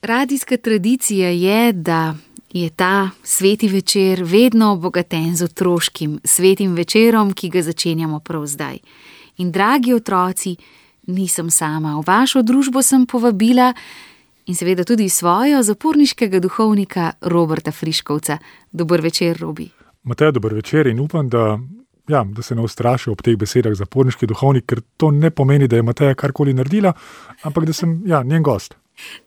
Radijska tradicija je, da je ta sveti večer vedno obogaten z otroškim svetim večerom, ki ga začenjamo prav zdaj. In dragi otroci, nisem sama. V vašo družbo sem povabila in seveda tudi svojo zaporniškega duhovnika Roberta Friškovca. Dober večer, Robi. Matej, dober večer in upam, da se ne ustraši ob teh besedah zaporniški duhovnik, ker to ne pomeni, da je Mateja karkoli naredila, ampak da sem njen gost.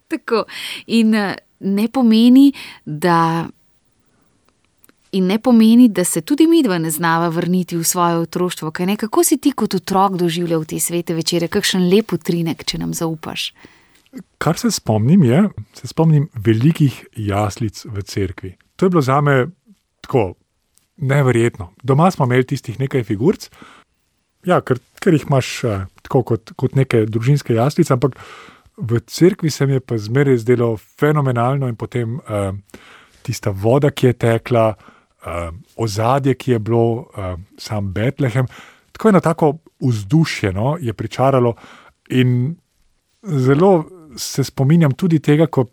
Tako. In ne pomeni, da se tudi midva ne znava vrniti v svoje otroštvo. Kaj ne? Kako si ti kot otrok doživljal te svete večere? Kakšen lep utrinek, če nam zaupaš? Kar se spomnim velikih jaslic v cerkvi. To je bilo zame tako neverjetno. Doma smo imeli tistih nekaj figurc, ker jih imaš tako kot neke družinske jaslice, ampak v cerkvi se mi je pa zmeraj zdelo fenomenalno in potem tista voda, ki je tekla, ozadje, ki je bilo, sam Betlehem, tako eno tako vzdušje je pričaralo in zelo se spominjam tudi tega, ko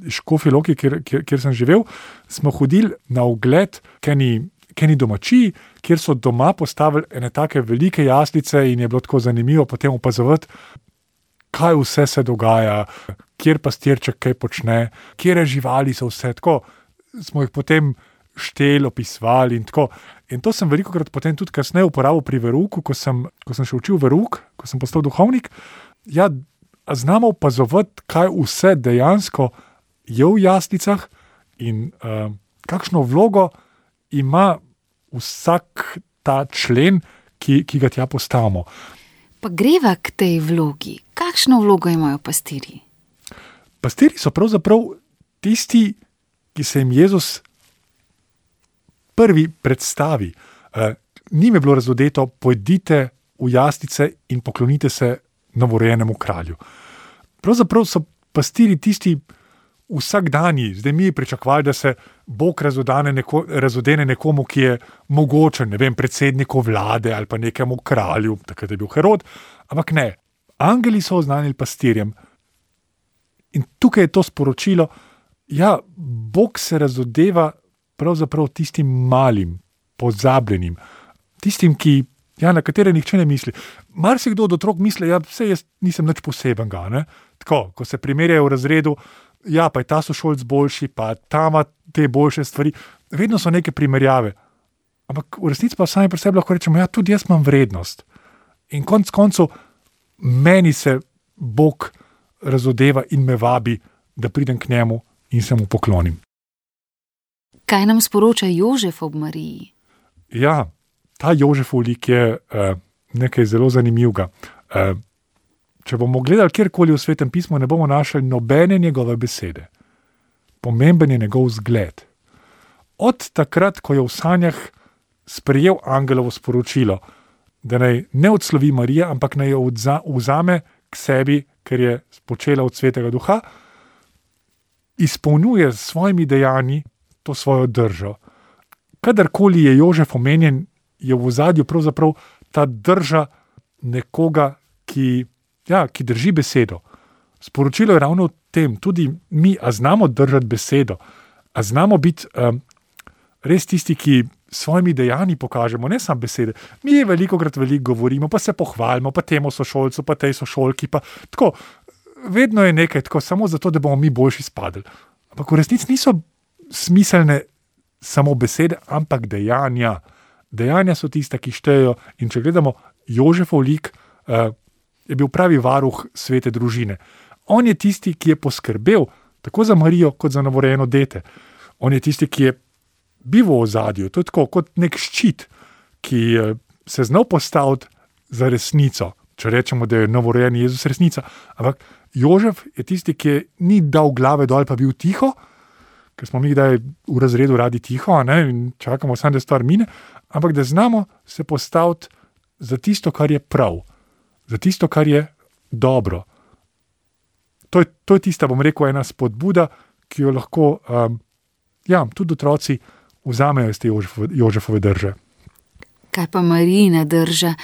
Škofji Loki, kjer sem živel, smo hodili na ogled k eni domačiji, kjer so doma postavili ene take velike jaslice in je bilo tako zanimivo potem opazovati, kaj vse se dogaja, kjer pastirček kaj počne, kjere živali so vse, tako smo jih potem šteli, opisovali in tako. In to sem velikokrat potem tudi kasneje uporabil pri verouku, ko sem še učil verouk, ko sem postal duhovnik. Znamo opazovati, kaj vse dejansko je v jaslicah in kakšno vlogo ima vsak ta člen, ki ga tja postavimo. Pa greva k tej vlogi. Kakšno vlogo imajo pastirji? Pastirji so pravzaprav tisti, ki se jim Jezus prvi predstavi. Njim je bilo razodeto, pojdite v jaslice in poklonite se novorojenemu kralju. Pravzaprav so pastirji tisti vsakdanji. Zdaj mi pričakovali, da se Bog razodene nekomu, ki je mogočen, predsedniku vlade ali pa nekemu kralju, takrat je bil Herod, ampak ne. Angeli so oznanili pastirjem in tukaj je to sporočilo, Bog se razodeva pravzaprav tistim malim, pozabljenim, tistim, na katere nihče ne misli. Marsikdo od otrok misli, saj jaz nisem nič posebenega, ne? Tako, ko se primerjajo v razredu, pa je ta sošolc boljši, pa ta ima te boljše stvari. Vedno so neke primerjave. Ampak v resnici pa sami pri sebi lahko rečemo, tudi jaz imam vrednost. In konec koncev meni se Bog razodeva in me vabi, da pridem k njemu in se mu poklonim. Kaj nam sporoča Jožef ob Mariji? Ta Jožefov lik je nekaj zelo zanimivega. Če bomo gledali kjerkoli v Svetem pismu, ne bomo našli nobene njegove besede. Pomemben je njegov zgled. Od takrat, ko je v sanjah sprejel angelovo sporočilo, da naj ne odslovi Marija, ampak naj jo vzame k sebi, ker je spočela od Svetega Duha, izpolnjuje s svojimi dejanji to svojo držo. Kadarkoli je Jožef omenjen, je v ozadju pravzaprav ta drža nekoga, ki drži besedo. Sporočilo je ravno v tem, tudi mi, a znamo držati besedo, a znamo biti res tisti, ki s svojimi dejanji pokažemo, ne samo besede. Mi veliko govorimo, pa se pohvalimo, pa temu sošolcu, pa tej sošolki, pa tako. Vedno je nekaj tako, samo zato, da bomo mi boljši spadli. Ampak v resnici niso smiselne samo besede, ampak dejanja. Dejanja so tista, ki štejejo. In če gledamo Jožefov lik, je bil pravi varuh svete družine. On je tisti, ki je poskrbel tako za Marijo, kot za novorojeno dete. On je tisti, ki je bil v ozadju. To je tako kot nek ščit, ki se znal postaviti za resnico. Če rečemo, da je novorojeni Jezus resnica. Ampak Jožef je tisti, ki ni dal glave dol, pa bil tiho, ker smo mi kdaj v razredu radi tiho, in čakamo samo, da stvar mine, ampak da znamo se postaviti za tisto, kar je prav, za tisto, kar je dobro. To je tista, bom rekel, ena spodbuda, ki jo lahko tudi otroci vzamejo iz te Jožefove drže. Kaj pa Marijina drža?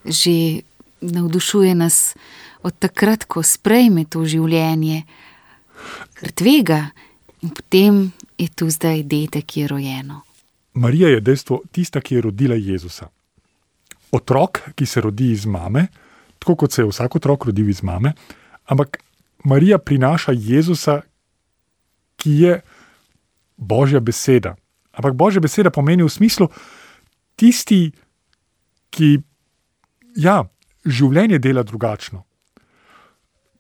Že navdušuje nas od takrat, ko sprejme to življenje. Ker tvega in potem je tu zdaj dete, ki je rojeno. Marija je dejstvo tista, ki je rodila Jezusa. Otrok, ki se rodi iz mame, tako kot se je vsak otrok rodil iz mame, ampak Marija prinaša Jezusa, ki je Božja beseda. Ampak Božja beseda pomeni v smislu tisti, ki življenje dela drugačno.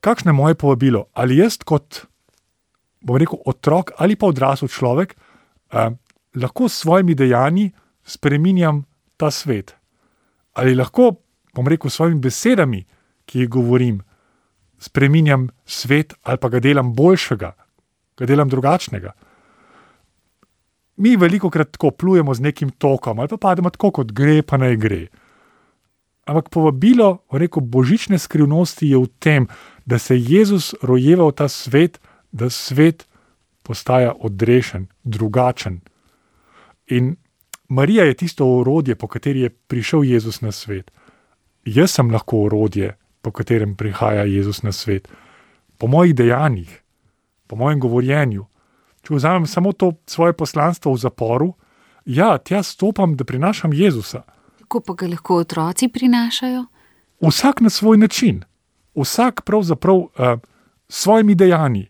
Kakšno je moje povabilo? Ali jaz kot, otrok ali pa odrasel človek lahko s svojimi dejanji spreminjam ta svet? Ali lahko, s svojimi besedami, ki jih govorim, spreminjam svet ali pa ga delam boljšega, ga delam drugačnega? Mi velikokrat tako plujemo z nekim tokom ali pa pademo tako, kot gre, pa naj gre. Ampak povabilo, božične skrivnosti je v tem, da se Jezus rojeva v ta svet, da svet postaja odrešen, drugačen. In Marija je tisto orodje, po kateri je prišel Jezus na svet. Jaz sem lahko orodje, po katerem prihaja Jezus na svet. Po mojih dejanjih, po mojem govorjenju. Če vzamem samo to svoje poslanstvo v zaporu, tja stopam, da prinašam Jezusa. Kako pa ga lahko otroci prinašajo? Vsak na svoj način. Vsak pravzaprav s svojimi dejanji,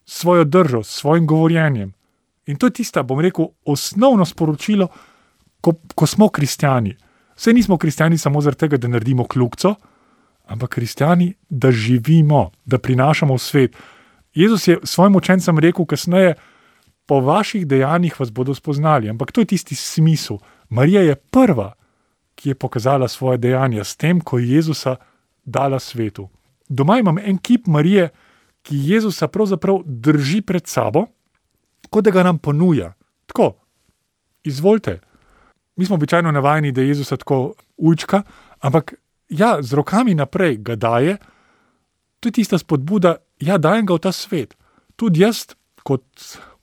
svojo držo, s svojim govorjenjem. In to je tista, osnovno sporočilo, ko smo kristjani. Vse nismo kristjani samo zaradi tega, da naredimo kljukco, ampak kristjani, da živimo, da prinašamo v svet. Jezus je svojim učencem rekel kasneje, po vaših dejanjih vas bodo spoznali. Ampak to je tisti smisel. Marija je prva, ki je pokazala svoje dejanja s tem, ko je Jezusa dala svetu. Doma imam en kip Marije, ki Jezusa pravzaprav drži pred sabo, kot da ga nam ponuja. Tako, izvolite. Mi smo običajno navajeni, da Jezusa tako ujčka, ampak z rokami naprej ga daje. To je tista spodbuda, dajem ga v ta svet. Tudi jaz kot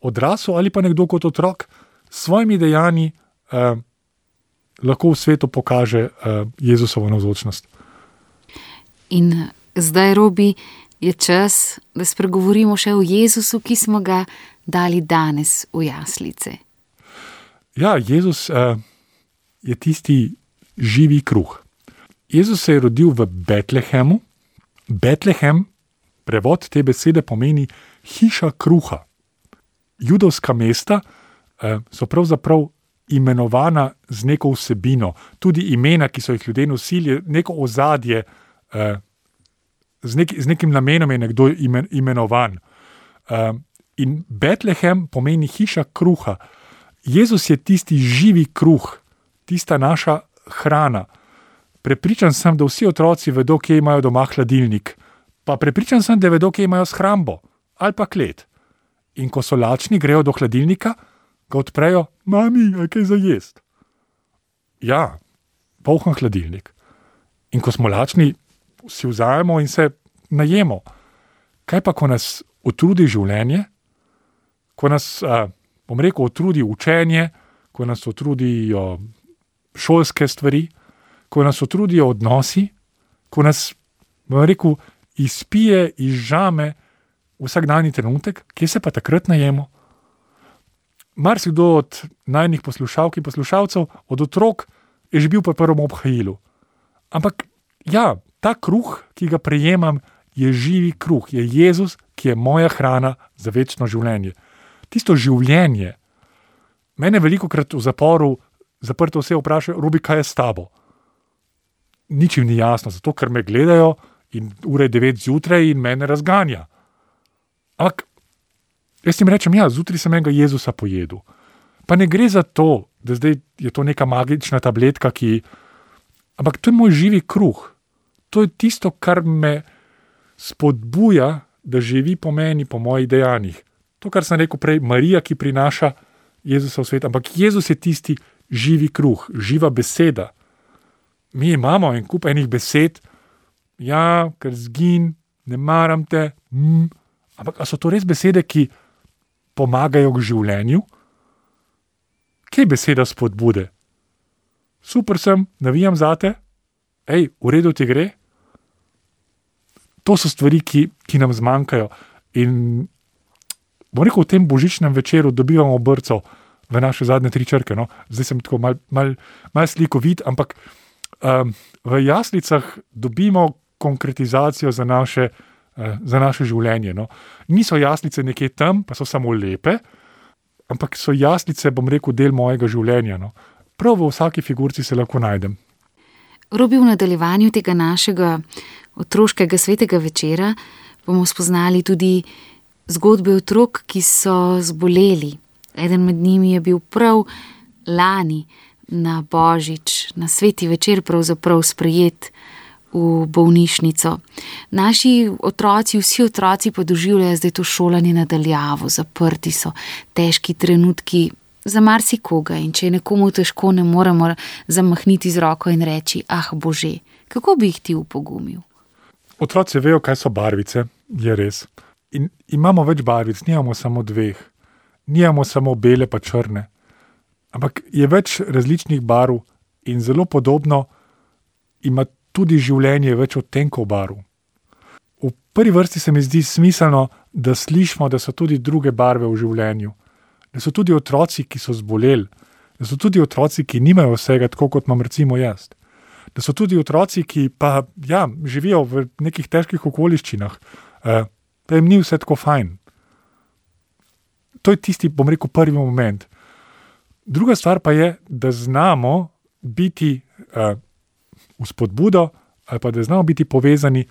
odrasel ali pa nekdo kot otrok s svojimi dejanji lahko v svetu pokaže Jezusovo navzočnost. In zdaj, Robi, je čas, da spregovorimo še o Jezusu, ki smo ga dali danes v jaslice. Jezus je tisti živi kruh. Jezus se je rodil v Betlehemu. Betlehem, prevod te besede pomeni hiša kruha. Judovska mesta so pravzaprav imenovana z neko vsebino. Tudi imena, ki so jih ljudje nosili, neko ozadje, z nekim namenom je nekdo imenovan. In Betlehem pomeni hiša kruha. Jezus je tisti živi kruh, tista naša hrana. Prepričan sem, da vsi otroci vedo, kje imajo doma hladilnik. Pa prepričan sem, da vedo, kje imajo shrambo ali pa klet. In ko so lačni, grejo do hladilnika, ga odprejo, mami, je kaj za jest? Poln hladilnik. In ko smo lačni, si vzajemo in se najemo. Kaj pa, ko nas utrudi življenje, ko nas, utrudi učenje, ko nas utrudijo šolske stvari, ko nas utrudijo odnosi, ko nas, izpije, izžame vsakdanji trenutek, kje se pa takrat najemo? Marsikdo od najnih poslušalk in poslušalcev, od otrok, je že bil po prvem obhajilu. Ampak ta kruh, ki ga prejemam, je živi kruh, je Jezus, ki je moja hrana za večno življenje. Tisto življenje. Mene velikokrat v zaporu zaprto vse vprašajo, Robi, kaj je s tabo? Nič jim ni jasno, zato ker me gledajo in ure 9 zjutraj in mene razganja. Ampak jaz jim rečem, zjutraj sem enega Jezusa pojedel. Pa ne gre za to, da zdaj je to neka magična tabletka, ampak to je moj živi kruh. To je tisto, kar me spodbuja, da živi po meni, po mojih dejanjih. To, kar sem rekel prej, Marija, ki prinaša Jezusa v svet, ampak Jezus je tisti živi kruh, živa beseda. Mi imamo en kup enih besed, ker zgin, ne maram te, ampak a so to res besede, ki pomagajo k življenju? Kje je beseda spodbude? Super sem, navijam zate, v redu ti gre? To so stvari, ki nam zmanjkajo. In bom rekel, v tem božičnem večeru dobivamo brco v naše zadnje 3 črke. No? Zdaj sem tako mal slikovit, ampak v jaslicah dobimo konkretizacijo za naše življenje. No? Niso jaslice nekje tam, pa so samo lepe, ampak so jaslice, bom rekel, del mojega življenja. No? Prav v vsaki figurci se lahko najdem. Robi, v nadaljevanju tega našega otroškega svetega večera bomo spoznali tudi zgodbe otrok, ki so zboleli. Eden med njimi je bil prav lani na Božič, na sveti večer pravzaprav sprejet v bolnišnico. Naši otroci, vsi otroci pa doživljajo zdaj to šolanje na daljavo, zaprti so, težki trenutki za marsikoga, in če je nekomu težko, ne moremo zamahniti z roko in reči, ah Bože, kako bi jih ti upogumil? Otroci vejo, kaj so barvice, je res. In imamo več barvic, nimamo samo 2. Nimamo samo bele pa črne. Ampak je več različnih barv in zelo podobno ima tudi življenje več odtenkov barv. V prvi vrsti se mi zdi smiselno, da slišimo, da so tudi druge barve v življenju. Da so tudi otroci, ki so zboleli. Da so tudi otroci, ki nimajo vsega, tako kot imam recimo jaz. Da so tudi otroci, ki pa živijo v nekih težkih okoliščinah, da jim ni vse tako fajn. To je tisti, bom rekel, prvi moment. Druga stvar pa je, da znamo biti vzpodbudo ali pa da znamo biti povezani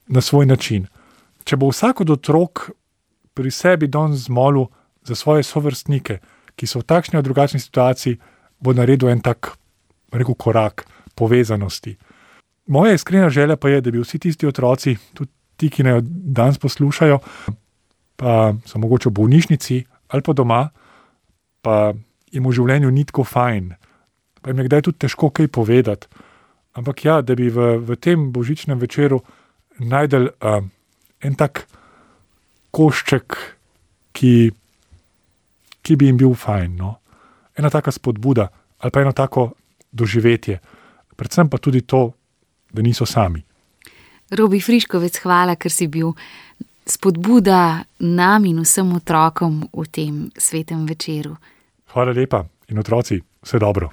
na svoj način. Če bo vsak od otrok pri sebi danes zmolil za svoje sovrstnike, ki so v takšni ali drugačni situaciji, bo naredil en tak, rekel, korak povezanosti. Moja iskrena želja pa je, da bi vsi tisti otroci, tudi ti, ki naj danes poslušajo, pa so mogoče v bolnišnici ali pa doma, pa jim v življenju ni tako fajn, pa jim je kdaj tudi težko kaj povedati. Ampak da bi v tem božičnem večeru najdel en tak košček, ki bi jim bil fajn. No? Ena taka spodbuda ali pa eno tako doživetje. Predvsem pa tudi to, da niso sami. Robi Friškovec, hvala, ker si bil spodbuda nam in vsem otrokom v tem svetem večeru. Hvala lepa in otroci, vse dobro.